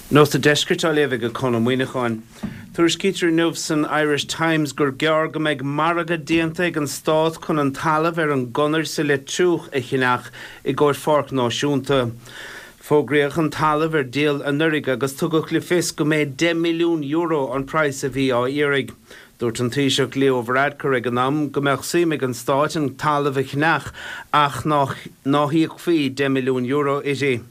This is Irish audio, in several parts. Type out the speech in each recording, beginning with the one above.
Nuacht an Deiscirt á léamh ag Conn Ó Muíneacháin. Tuairiscítear inniu san Irish Times gur gearr go mbeidh margadh déanta ag an Stát chun an talamh ar an gConair sa Leitriúch a cheannach i gcomhair pháirc náisiúnta. Fógraíodh an talamh ar díol anuraidh agus tugadh le fios go mb'é €10 milliún an praghas a bhí á iarraidh. Dúirt an Taoiseach Leo Varadkar ag an am go mbeadh suim ag an Stáit an talamh a cheannach ach ná híocfaí €10 milliún uirthi.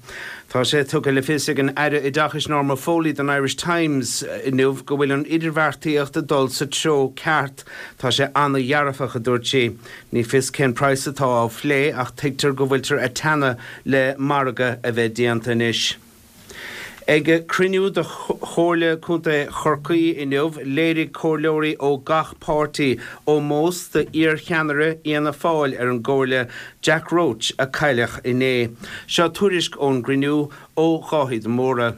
Tá sé tugtha le fios ag an Aire Oideachais Norma Foley don Irish Times inniu go bhfuil an idirbheartaíocht ag dul sa treo ceart. Tá sé an-dhearfach, a dúirt sí. Ní fios cén praghas atá á phlé ach tuigtear go bhfuiltear ag teannadh le margadh a bheith déanta anois. Ag cruinniú de Chomhairle Contae Chorcaí inniu, léirigh comhairleoirí ó gach páirtí ómós do iar-cheannaire Fhianna Fáil ar an gcomhairle, Jack Roche, a cailleadh inné. Seo tuairisc ón gcruinniú ó Dháithí de Mórdha.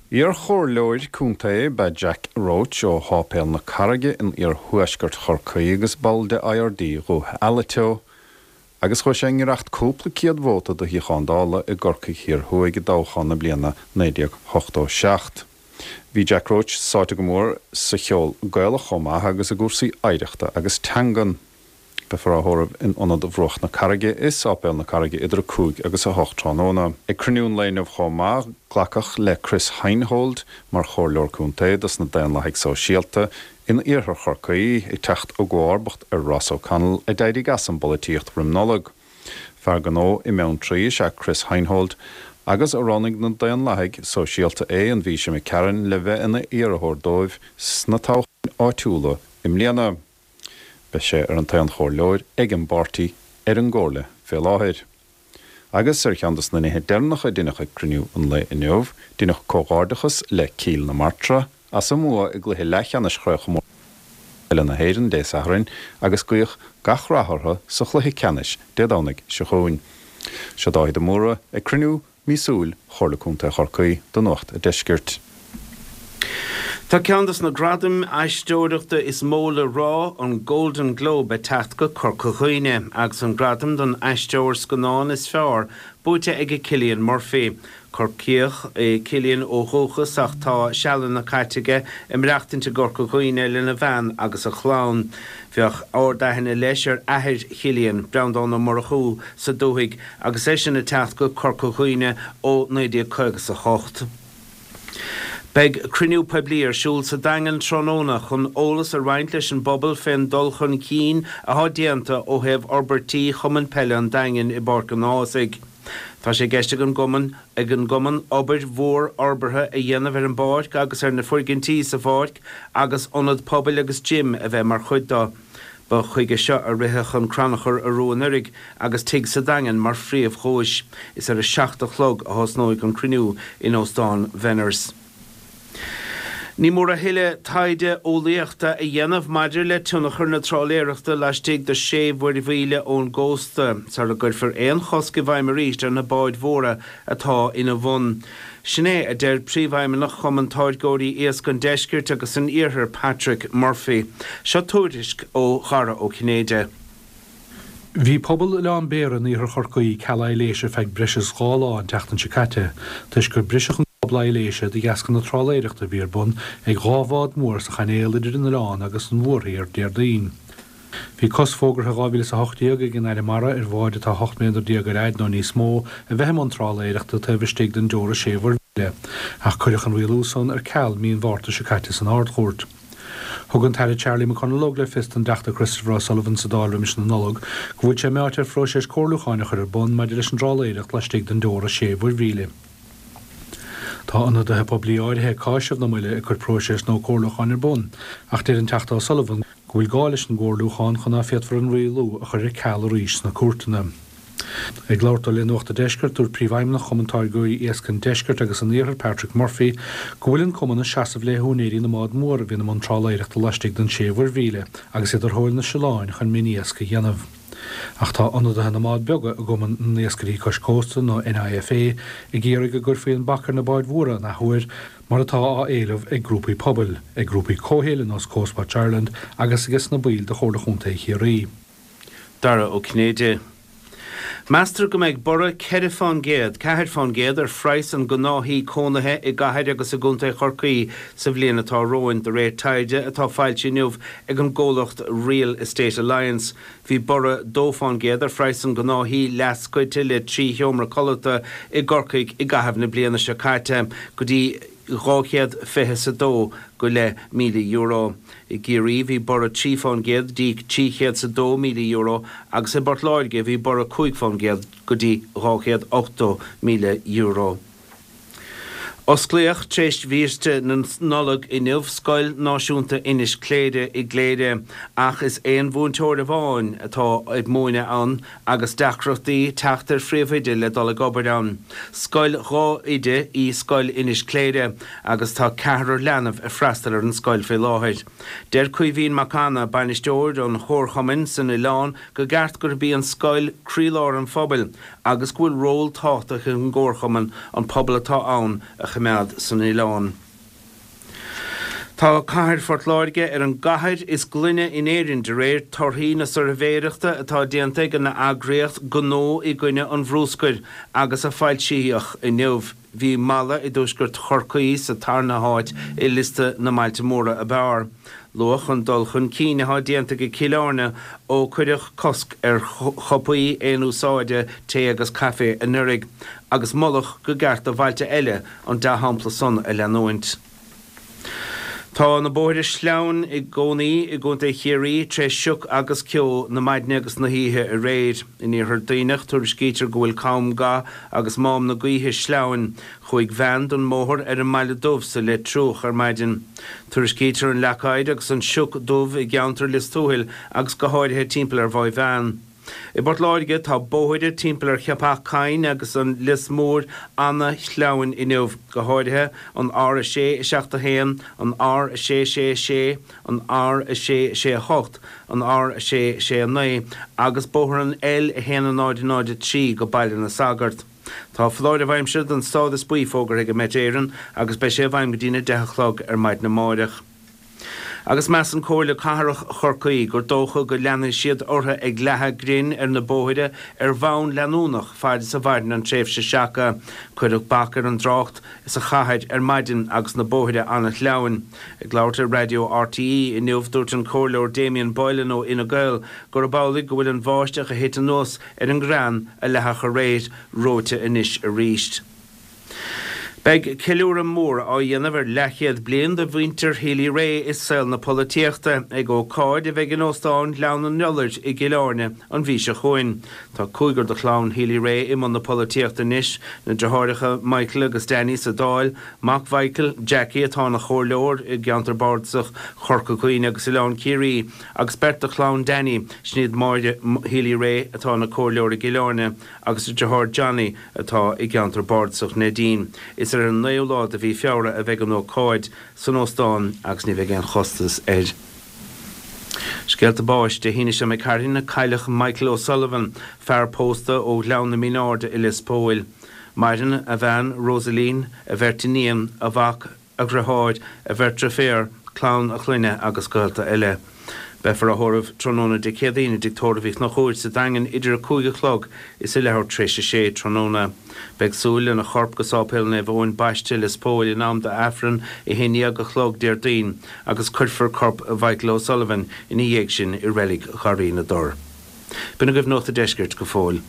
Iar-chomhairleoir contae ab ea Jack Roche ó Sháipéal na Carraige in iarthuaisceart Chorcaí agus ball de IRD Dhúiche Alito. Agus chuaigh sé i ngiorracht cúpla céad vóta do shuíochán Dála i gCorcaigh Thiar Thuaidh i dtoghchán na bliana 1987. Bhí Jack Roche sáite go mór sa cheol Gaelach chomh maith agus i gcúrsaí oidhreachta agus teangan. Beifear á thórramh in Ionad Bhruach na Carraige i Sáipéal na Carraige idir 5 agus 8 tráthnóna. Ag cruinniú an lae inniu chomh maith, glacadh le Chris Heinold mar Chomhairleoir Contae dos na Daonlathaigh Sóisialta In iarthar Chorcaí, ag teacht i gcomharbacht ar Ross O'Connell a d'éirigh as an bpolaitíocht roim Nollaig. Fear gnó i mBeanntraí is ea Chris Heinold agus roghnaigh na Daonlathaigh Sóisialta é an mhí seo imigh tharainn le bheith ina iarrthóir dóibh sna toghcháin áitiúla i mbliana. Beidh sé ar an t-aon chomhairleoir ag an bpáirtí ar an gcomhairle fé láthair. Agus ar cheann dos na nithe deireanacha a deineadh ag cruinniú an lae inniu, deineadh comhghairdeachas le Cill na Martra as a mbua i gcluiche leathcheannais Chraobhchomórtas Peile na hÉireann Dé Sathairn agus guíodh gach rath orthu sa chluiche ceannais Dé Domhnaigh seo chugainn. Seo Dáithí de Mórdha ag cruinniú míosúil Chomhairle Contae Chorcaí do Nuacht a' Deiscirt. Tá ceann de na gradaim aisteoireachta is mó le rá, an Golden Globe, ag teacht go Corca Dhuibhne agus an gradam don aisteoir scannáin is fearr buaite ag Cillian Murphy. Corcaíoch é Cillian ó dhúchas ach tá sealanna caite aige ag maireachtaint i gCorca Dhuibhne lena bhean agus a chlann. Bheadh ard-aithne leis ar athair Chillian, Breandán Ó Murchú, sa dúthaigh agus eisean ag teacht go Corca Dhuibhne ó 1958. Beidh cruinniú poiblí ar siúl sa Daingean tráthnóna chun eolas a roinnt leis an bpobal fén dul chun cinn athá déanta ó thaobh fhorbairtí Chumann Peile an Daingin i bPáirc an Ághasaigh. Tá sé i gceist ag an gcumann ag an gcumann obair mhór fhorbartha a dhéanamh ar an bpáirc agus ar na foirgintí sa pháirc agus ionad pobail agus gym a bheith mar chuid do. Ba chuige seo a ritheadh an crannchur arú anuraidh agus tigh sa Daingean mar phríomh-dhuais. Is ar a 7 a chlog a thosnóidh an cruinniú in Óstán Bhenners. Ní mór a thuilleadh taighde eolaíochta a dhéanamh maidir le tionchar na trálaeireachta laistigh de sé mhuirmhíle ón gcósta sara gcuirfear aon chosc i bhfeidhm arís ar na báid mhóra atá ina bhun. Sin é a deir Príomhfheidhmeannach Chumann Táirgeoirí Iasc an Deiscirt agus an Iarthair, Patrick Murphy. Seo tuairisc ó Dhara Ó Cinnéide. Bhí pobal Oileán Béara in iarthar Chorcaí ceal aibhléise ar feadh breis is 2 lá an tseachtain seo caite toisc gur briseadh an cábla aibhléise de dheasca na trálaeireachta a bhí ar bun ag dhá bhád mhór sa chainéal idir an oileán agus an mhórthír Déardaoin. Bhí cosc fógartha in 2018 ag an Aire Mara ar bháid atá 18 méadar ar fhaid nó níos mó a bheith i mbun trálaeireachta taobh istigh den dteora sé mhuirmhíle, ach cuireadh an rialú san ar ceal mí an Mhárta seo caite san Ard-Chúirt. Thug an tAire Charlie McConalogue le fios don dTeachta Christopher O'Sullivan sa Dáil roimis na Nollag go bhfuil sé meáite ar phróiseas comhairliúcháin a chur ar bun maidir leis an dtrálaeireacht laistigh den dteora sé mhuirmhíle. Tá ionadaithe poiblí áirithe ag cáiseamh na moille ag cur próiseas nó comhairliúcháin ar bun, ach deir an Teachta O'Sullivan go bhfuil gá leis an gcomhairliúchán chun ná féadfar an rialú a chur ar ceal arís sna cúirteanna. Ag labhairt dó le Nuacht a' Deiscirt, dúirt Príomhfheidhmeannach Chumann Táirgeoirí Iasc an Deiscirt agus an Iarthair, Patrick Murphy, go bhfuil an cumann ag seasamh le húinéirí na mbád mór a bhíonn i mbun trálaeireachta laistigh den sé mhuirmhíle agus iad ar thóir na siolláin chun mion-iasc a dhéanamh. Ach tá ionadaithe na mbád beaga i gCumann na nIascairí Cois Cósta, nó NIFA, ag iarraidh go gcuirfí an bac ar na báid mhóra an athuair, mar atá á éileamh ag grúpaí pobail, ag grúpaí comhshaoil ar nós Coastwatch Ireland agus ages na baill de Chomhairle Chontae Chiarraí. Dara Ó Cinnéide. Meastar go mbeidh borradh 4 fán gcéad, 4%, ar phraghas an ghnáth-thí cónaithe i gcathair agus i gcontae Chorcaí sa bhliain atá romhainn, de réir taighde atá foilsithe inniu ag an gcomhlacht Real Estate Alliance. Bhí borradh 2 fán gcéad ar phraghas an ghnáth-thí leathscoite le 3 sheomra codlata i gCorcaigh i gcaitheamh na bliana seo caite, go dtí 220 's a dó go leith míle euro. I gCiarraí bhí borradh 3 fán gcéad dtí 300 's a €2,000 agus i bPort Láirge bhí borradh 5 fán gcéad go dtí €280,000. Osclaíodh tar éis bhiaiste na Nollag inniu Scoil Náisiúnta Inis Cléire i gCléire ach is aon mhúinteoir amháin atá ag múineadh ann agus deacrachtaí teacht ar phríomhoide le dul ag obair ann. Scoil 2 oide í Scoil Inis Cléire agus tá ceathrar leanbh ag freastal ar an scoil faoi láthair. Deir Caoimhín Mac Anna, bainisteoir an chomharchumainn san oileán go gceart gurb í an scoil croílár an phobail agus go bhfuil ról tábhachtach ag an gcomharchumann an pobal atá ann a choimeád san oileán. Tá cathair Phort Láirge ar an gcathair is glaine in Éirinn de réir torthaí na suirbhéireachta atá déanta ag an eagraíocht Gnó i gCoinne an Bhrúscair agus a foilsíodh inniu. Bhí Mala i dtuaisceart Chorcaí sa tarna háit i liosta na mbailte móra ab fhearr. Luadh an dul chun cinn atá déanta ag Cill Airne ó cuireadh cosc ar chupaí aon úsáide tae agus caife anuraidh agus moladh go gceart do bhailte eile an dea-shampla san a leanúint. Tá na bóithre sleamhain i gcónaí i gContae Chiarraí tré sioc agus ceo na maidne agus na hoíche aréir. In Iarthar Duibhneach tuairiscítear go bhfuil Com Ga agus Mám na Gaoithe sleamhain. Chuaigh veain den mbóthar ar an mBaile Dubh sa Leitriúch ar maidin. Tuairiscítear an leac oighir agus an sioc dubh i gceantar Lios Tuathail agus go háirithe timpeall ar Mhaigh Mheáin. I bPort Láirge, tá bóithre timpeall ar Cheapach Choinn agus an Lios Mór ana-shleamhain inniu, go háirithe an R6 7 1, an R6 6 6, an R6 6 8, an R6 6 9 agus bóthar an L1 0 0 3 go Baile na Sagart. Tá foláireamh aimsire den stádas buí fógartha ag Met Éireann agus beidh sé i bhfeidhm go dtína 10 a chlog ar maidin amáireach. Agus measann Comhairle Cathrach Chorcaí gur dócha go leanfaidh siad orthu ag leathadh grinn ar na bóithre ar bhonn leanúnach fad is a mhaireann an tréimhse seaca. Cuireadh bac ar an dtrácht sa chathair ar maidin agus na bóithre an-shleamhain. Ag labhairt ar raidió RTÉ inniu dúirt an Comhairleoir Damien Boylan ó Fhine Gael gurb amhlaidh go bhfuil an bháisteach a thit anuas ar an ngrean a leathadh aréir reoite anois arís. Beidh ceiliúradh mór á dhéanamh ar leathchéad bliain de mhuintir Healy-Rae i saol na polaitíochta ag ócáid a bheidh in Óstán Ghleann an Iolair i gCill Airne an mhí seo chugainn. Tá cúigear de chlann Healy-Rae i mbun na polaitíochta anois, na deartháireacha Michael agus Danny sa Dáil, mac Mhichael, Jackie, atá ina chomhairleoir i gceantar bardasach Chorca Dhuibhne agus Oileán Ciarraí, agus beirt de chlann Danny, sin iad Máire Healy-Rae atá ina comhairleoir i gCill Airne agus a deartháir Johnny atá i gceantar bardasach Neidín. Is ar an 9ú lá de mhí Feabhra a bheidh an ócáid san óstán agus ní bheidh aon chostas air. Scéalta báis, Dé hAoine seo imigh tharainn a cailleadh Michael O'Sullivan, fear pósta ó Ghleann na Mínáirde i Lios Póil. Maireann a bhean Rosaleen, a bheirt iníon, a mhac, a dhriotháir, a bheirt driféar, clann a chlainne agus gaolta eile. Beifear á thórramh tráthnóna Dé Céadaoin i dTigh Tórraimh Uí Chonchúir sa Daingean idir 5 a chlog is a leathuair tar éis a sé tráthnóna. Beidh súil lena chorp go Sáipéal Naomh Eoin Baiste, Lios Póil in am d'Aifreann 11 a chlog Déardaoin agus cuirfear corp Mhichael O'Sullivan ina dhiaidh sin i Reilig Gharraí na dTor. B'in agaibh Nuacht a' Deiscirt go fóill.